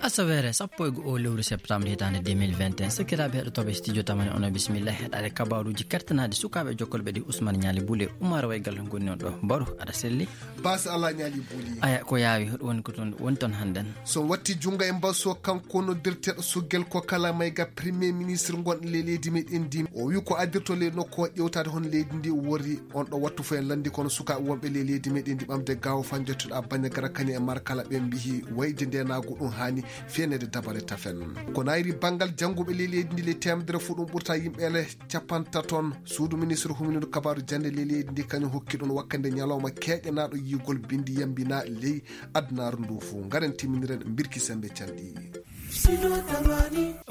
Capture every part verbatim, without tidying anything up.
Asaweere sappo e go'o lewru septembre hitaande deux mille vingt et un, sakiraaɓe heɗotooɓe studio tamani, onon bisimilla heɗaade kabaaruuji kertanaaɗi sukaaɓe jokkolɓe ɗi. Ousmane Ñaali Bule, Umar Waygal ngoni on ɗo. Baru, aɗa selli? Baasi Alaa Ñaali Buli. Aya, ko yaawi, hoɗum woni ko toon, woni toon hannden? So watti junngo e mbaso, kanko noddirteeɗo Sogel ko kala mayga Premier Ministre ngon le leydi meɗen ndi. O wi ko addirto le nokku o ƴewtaade hon leydi ndi wori on ɗo wattu fof en lanndi kono sukaaɓe wonɓe le leydi meɗen ndi ɓamde gaawo fanjotoɗa Bandiagara kañum e Markala ɓe mbihi wayde ndenaagu ɗum haani feenede dabare tafen. Ko nayri banngal jannguɓe le leydi ndi le teemedere fof ɗum ɓurta yimɓe ele capantaton. Suudu ministre humindu kabaaru jannde le leydi ndi kañum hokki ɗum wakkande ñalawma keeƴanaaɗo yiigol bindi yambina ley adunaaru ndu fof. Ngaren timminiren mbirki sembe calɗi.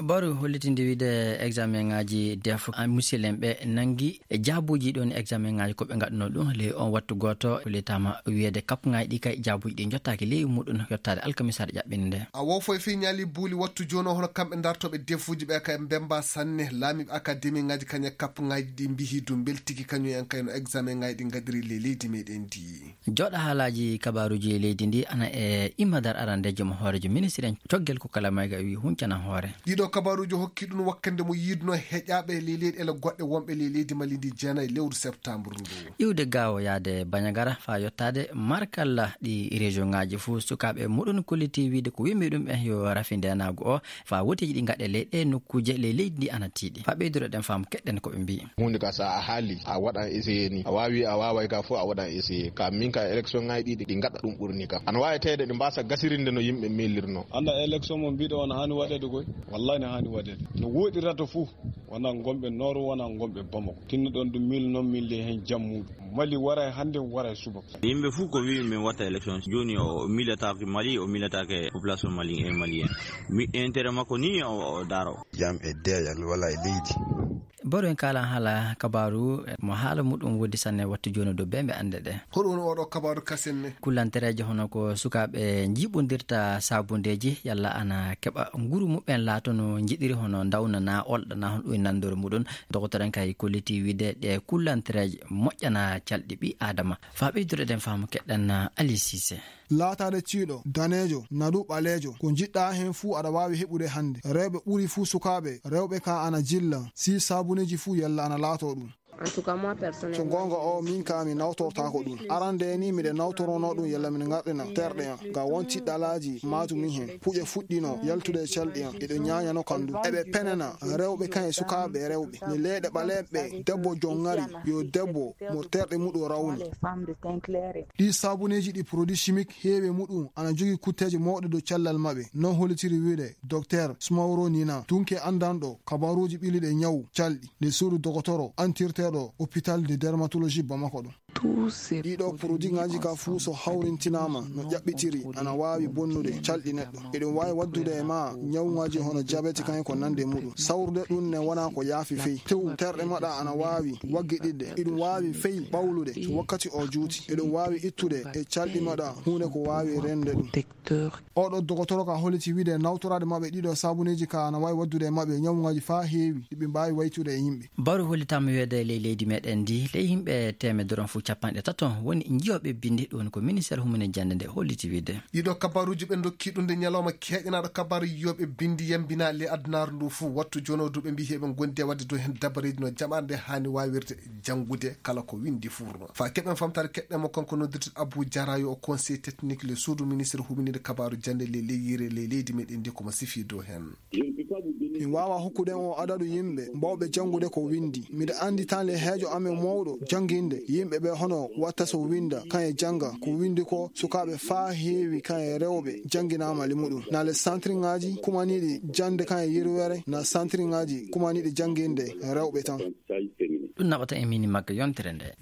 Baru hollitinde wiide examen ngaji def, a, musilem ɓe nangi e jaabuji ɗon examen ngaji ko ɓe ngaɗuno ɗum ley on wattu gooto, hollitama wiyeede kapngaji ɗi kay jaabuji ɗi jottaaki ley muɗum yottaade alkamisaare ƴaɓɓinde nde. A wo foy fii ñaali buuli wattu jooni o hono kamɓe dartooɓe defuuji ɓe kay mbemba sanne laamiiɓe akademi ngaji kañe kapngaji ɗi mbihi du mbeltiki kañum en kay no examen ngaji ɗi ngadiri ley leydi meɗen ndi. Jooɗa haalaaji kabaaruuji leydi ndi ana e imadar arandeejo mo hooreejo ministre en coggel ko kala mayga wi huncana hoore. Ɗiɗo kabaaruuji hokki ɗum wakkande mo yiiduno heƴaaɓe ley leyɗe ele goɗɗe wonɓe ley leydi Mali ndi jeenayi lewru septembre ndu. Iwde gaawo yaade Bañagara faa yottaade Markalla ɗi région ngaji fof sukaaɓe muɗum kolliti wiide ko wimɓe ɗum ɓen yo rafi ndenaagu o faa woteeji ɗi ngaɗe ley ɗe nokkuuje ley leydi ndi ana tiiɗi. Faa ɓeydude ɗen faamu keɗɗen ko ɓe mbii. Huunde ka so a haali, a waɗan essayé ni. A waawi, a waaway ka fof, a waɗan essayé. Ka min ka élection ngaji ɗiɗi, ɗi ngaɗa ɗum ɓurni kam. Ana waawi tawde ɗi mbaasa gasirinde no yimɓe miilirno. Annda élection mo mbiɗo on haani waɗeede koy? Wallahi no haani waɗeede. No woɗirata fof, wona ngonɓe Nord, wona ngonɓe Bamako. Tinno ɗon ɗum miil noon, miil heen jam muɗum. Mali waray hannde, waray subaka. Yimɓe fof ko wi'i min watta élection. Jooni o miilataake Mali, o miilataake population Mali e Malien. Mi intérêt makko ni o, o daaro. Jam e deeƴal wala e leydi. Baro en kaalan haala kabaaru mo haala muɗum woddi sanne wattu jooni dow bee mbe annde ɗe. Hoɗum woni oɗo kabaaru kasen ne? Kullantereeje hono ko sukaaɓe njiiɓondirta saabundeeji yalla ana keɓa nguru muɓɓen laato no njiɗiri hono ndawna na olɗa na hono ɗum e nanndore muɗum. Dogotoren kay kolliti wiide ɗe kullantereeje moƴƴana calɗi ɓi Aadama. Faa ɓeydude ɗen faamu keɗɗen Ali Sise. Laataade ciiɗo, daneejo, nadu ɓaleejo, ko njiɗɗaa heen fuu aɗa waawi heɓude hannde. Rewɓe ɓuri fuu sukaaɓe, rewɓe ka ana jilla, si saabuneeji fuu yalla ana laatoo ɗum. En tout cas, moi, personnellement, so goonga o, min ka mi nawtortaako ɗum. Arande ni miɗe nawtoronoo ɗum yalla min ngarɗina terɗe am. Ga won tiɗɗalaaji maatu min heen. Puƴe fuɗɗino yaltude e calɗi am. Eɗo ñaañano kam ɗum. Eɓe penana rewɓe kan e sukaaɓe rewɓe. Ne leyɗe ɓaleeɓe, debbo jongari, yo debbo mo terɗe muɗum rawni. Ɗi saabuneeji ɗi produit chimique heewi e muɗum ana jogii kutteeje mawɗe dow cellal maɓɓe, non hollitiri wiide Docteur Sumaworo Nina, tunke anndanɗo kabaaruuji ɓiliiɗi e ñawu calɗi, le suudu dogotoro antirteeɗo hôpital de dermatologie Bamako ɗum. Ɗiɗo produit ngaji ka fuu so hawrintinaama no ƴaɓɓitiri ana waawi bonnude calɗi neɗɗo. Eɗum waawi waddude e ma ñawŋaaji hono diabète kaŋŋe ko nande e muɗum. Sawrude ɗum ne wona ko yaafi fey. Tew terɗe maɗa ana waawi waggiɗiɗde. Eɗum waawi fey ɓawlude so wakkati o juuti. Eɗum waawi ittude e calɗi maɗa huunde ko waawi rende ɗum. Oɗo dogotoro ka holliti wiide nawtoraade maɓɓe ɗiɗo saabuneeji ka ana waawi waddude e maɓɓe ñawŋaaji faa heewi ɗi ɓe mbaawi waytude e yimɓe. Baro hollitaama wiyeede ley leydi meɗen ndi, ley yimɓe teemedere on fof capanɗe tato woni njiyooɓe bindi, ɗum woni ko ministère humine jannde nde holliti wiide. Ɗiɗo kabaruuji ɓe ndokki ɗum nde ñalawma keeƴanaaɗo kabaru yiyooɓe bindi yambina ley adunaaru ndu fof. Wattu jooni o du ɓe mbii heɓe ngondi e waɗde dow heen dabareeji no jamaare nde haani waawirde janngude kala ko winndi fuurno. Faa keɓen famtaare keɗɗen mo kanko noddirte Abou Diarra yo o conseil technique le suudu ministre huminide kabaru jannde ley ley yire ley leydi meɗen ndi ko mo sifi dow heen. Mi waawaa hokkude on adadu yimɓe baawɓe janngude ko winndi. Miɗo anndi tan le heejo amen mawɗo jannginde yimɓe ɓe hono watta so winnda kan e jannga ko winndi ko sukaaɓe faa heewi kan e rewɓe jannginaama le muɗum. Na le santriŋaaji kumaniiɗi jannde kan e yirwere na santriŋaaji kumaniiɗi jannginde rewɓe tan. Ɗum naɓata e mini magga yontere nde.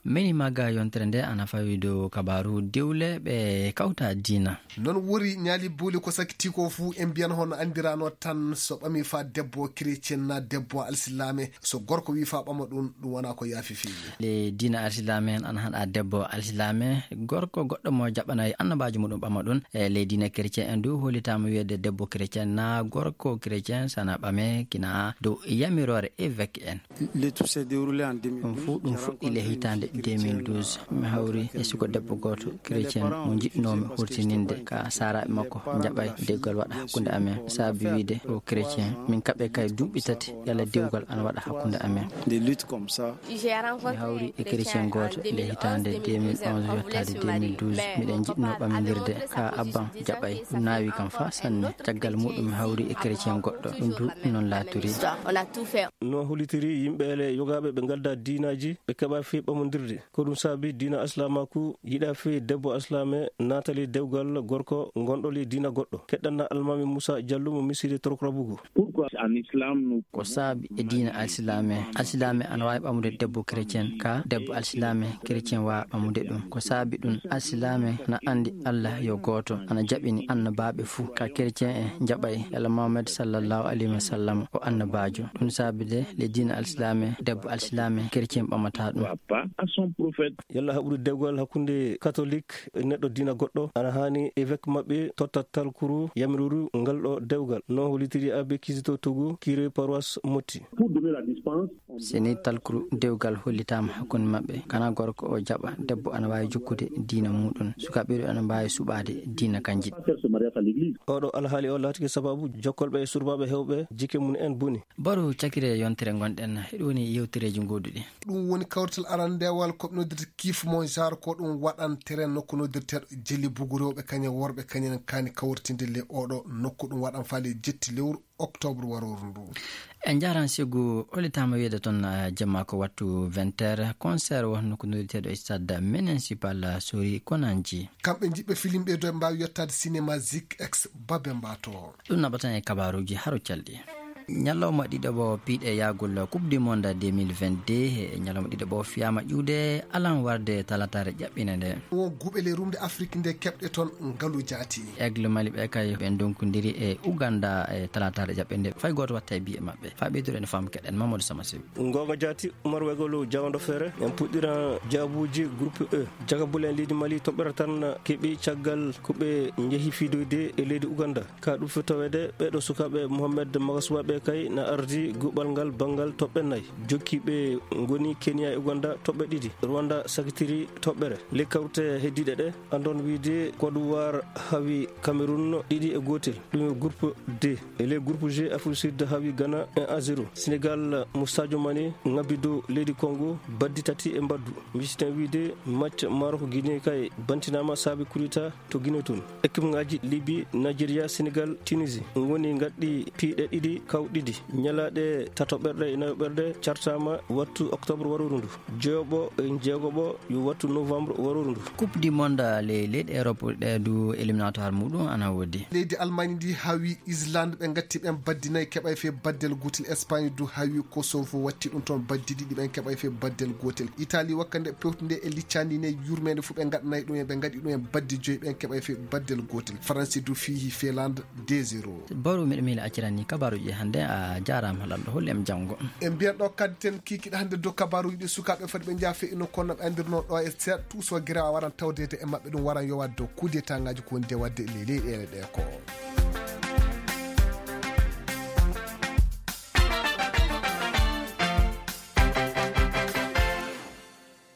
Mini magga yontere nde ana fawi dow kabaru diwle ɓe kawta diina. Noon wori ñaali buuli ko sakiti ko fuu en mbiyan hono anndirano tan so ɓami fa debbo chrétien na debbo alsilaame so gorko wi fa ɓama ɗum ɗum wona ko yaafi feewi. Le diina alsilaame en ana haɗa debbo alsilaame gorko goɗɗo mo jaɓanayi annabaajo muɗum ɓama ɗum e ley diina chrétien en du hollitaama wiyeede debbo chrétien na gorko chrétien sana ɓame kina dow yamiroore évêque en. Ɗum fof ɗum fuɗɗi le hitaande deux mille douze, mi hawri e suko debbo gooto chrétien mo njiɗnoomi hurtininde ka saaraaɓe makko njaɓay dewgal waɗa hakkunde amen. Saabi wiide o chrétien, min kaɓe kay duuɓi tati yalla dewgal ana waɗa hakkunde amen. Mi hawri e chrétien gooto nde hitaande deux mille onze yottaade deux mille douze. Miɗen njiɗnoo ɓammindirde ka abban jaɓay. Ɗum naawi kam faa sanne. Caggal muɗum mi hawri e chrétien goɗɗo. Ɗum du noon laatori. No hollitiri yimɓe ele yogaaɓe ɓe ngaldaa diinaaji, ɓe keɓa fii ɓamondirde. Ko ɗum saabi diina Islaamaaku yiɗa fii debbo Islaame naatali dewgal gorko ngonɗo li diina goɗɗo. Keɗɗanna Almaami Muusa Jallo mo Misiri Torokrabugu. Ko saabi e diina Alsilaame, Alsilaame ana waawi ɓamude debbo chrétien, ka debbo Alsilaame chrétien waawa ɓamude ɗum. Ko saabi ɗum, Alsilaame na anndi Allah yo gooto, ana jaɓini annabaaɓe fuu, ka chrétien en njaɓay yalla Muhammad sallallahu alayhi wa sallam o annabaajo. Ɗum saabi de le diina Alsilaame, debbo Alsilaame chrétien ɓamata ɗum. Yalla haɓude dewgal hakkunde katolik e neɗɗo diina goɗɗo, ana haani évêque maɓɓe totta talkuru yamiruru ngal ɗo dewgal. No hollitiri Abbé Kizito Togu, curé paroisse Motti. Si ni talkuru dewgal hollitaama hakkunde maɓɓe, kana gorko o jaɓa, debbo ana waawi jokkude diina muɗum. Sukaaɓe ɗo ana mbaawi suɓaade diina kanji. Oɗo alhaali o laatike sababu jokkolɓe e surbaaɓe hewɓe jike mum en boni. Baru cakire yontere ngonɗen, heɗo woni yewtereeji ngoduɗi. Ɗum woni kawrital arandeewal ko ɓe noddirta kiif mo genre, ko ɗum waɗantere nokku noddirteeɗo Jeli Bugu. Rewɓe kañe worɓe kañen kaani kawritinde le oɗo nokku. Ɗum waɗan faale jetti lewru octobre warooru ndu. En njaran Segu, hollitaama wiyeede toon, eh, jemma ko wattu vingt heures, concert wonno ko noddirteeɗo e stade municipal Sori Konanji. Kamɓe njiɗɓe filimɓe dow ɓe mbaawi yottaade cinéma Zik X Babe Mbato. Ɗum naɓatan e kabaaruuji haro calɗi. Ñalawma ɗiɗaɓo piiɗe yaagol Coupe du Monde deux mille vingt-deux, e ñalawma ɗiɗaɓo fiyaama ƴuwde alan warde talataare ƴaɓɓinde nde. Won guɓele rumde Afrik nde keɓɗe toon ngalu jaati. Aigle Mali ɓe kay ɓe ndonkondiri e Uganda e talataare ƴaɓɓinde. Fay gooto watta e biye maɓɓe. Faa ɓeyduɗen fam keɗen Mamadou Sama Sew. Ngoonga jaati, Umar Wegolo jawndo feere. En puɗɗira jaabuuji groupe E. Jagabule en leydi Mali toɓɓere tan keɓi caggal ko ɓe njehi fiidoyde e leydi Uganda. Ka ɗum fii taweede, ɓeeɗo sukaaɓe Mohamed Magasuwa ɓe kay na ardi guɓal ngal banngal toɓɓe nayi. Jokkiiɓe ngoni Kenya e Uganda toɓɓe ɗiɗi. Rwanda sakitiri toɓɓere. Ley kawte heddiiɗe ɗe, andon wiide Côte d'Ivoire hawi Cameroun ɗiɗi e gootel. Ɗum e groupe D. E ley groupe G, Afrique Sud hawi Ghana un à zéro. Sénégal mo Sadio Mané ngabbi dow leydi Congo baddi tati e mbaddu. Misiɗen wiide match Maroc Guinée kay bantinaama saabi kudeta to Guinée toon. Équipe ngaji Libye, Nigeria, Sénégal, Tunisie ngoni ngaɗɗi piiɗe ɗiɗi kawɗiɗi. Ñalaaɗe tatoɓerɗe e nayoɓerɗe cartaama wattu octobre warooru ndu. Joyoɓo e jeegoɓo yo wattu novembre warooru ndu. Coupe du Monde ley leyɗe Europe ɗe du éliminatoire muɗum ana woodi. Leydi Allemagne ndi hawi Islande, ɓe ngatti ɓen baddi nayi keɓay fe baddel gootel. Espagne du hawi Kosovo, watti ɗum toon baddi ɗiɗi, ɓen keɓay fe baddel gootel. Italie wakkande pewtunde e liccandi ne yurmende fu ɓe ngaɗanay ɗum en, ɓe ngaɗi ɗum en baddi joyi, ɓen keɓay fe baddel gootel. Faransi du fiihi Finlande deux zéro. Baru miɗo miila accirani kabaruji hannde, a jaaraama lalɗo, holli em janngo. En mbiyan ɗo kaddi ten kiikiɗe hannde dow kabaruji ɗi sukaaɓe foti ɓe njaha fe ino kono ɓe anndirno ɗo e seeɗa tuuso gere a waran tawdeede e maɓɓe ɗum waran yowaade dow kudetangaaji ko woni de waɗde e ley leyɗeele ɗe ko.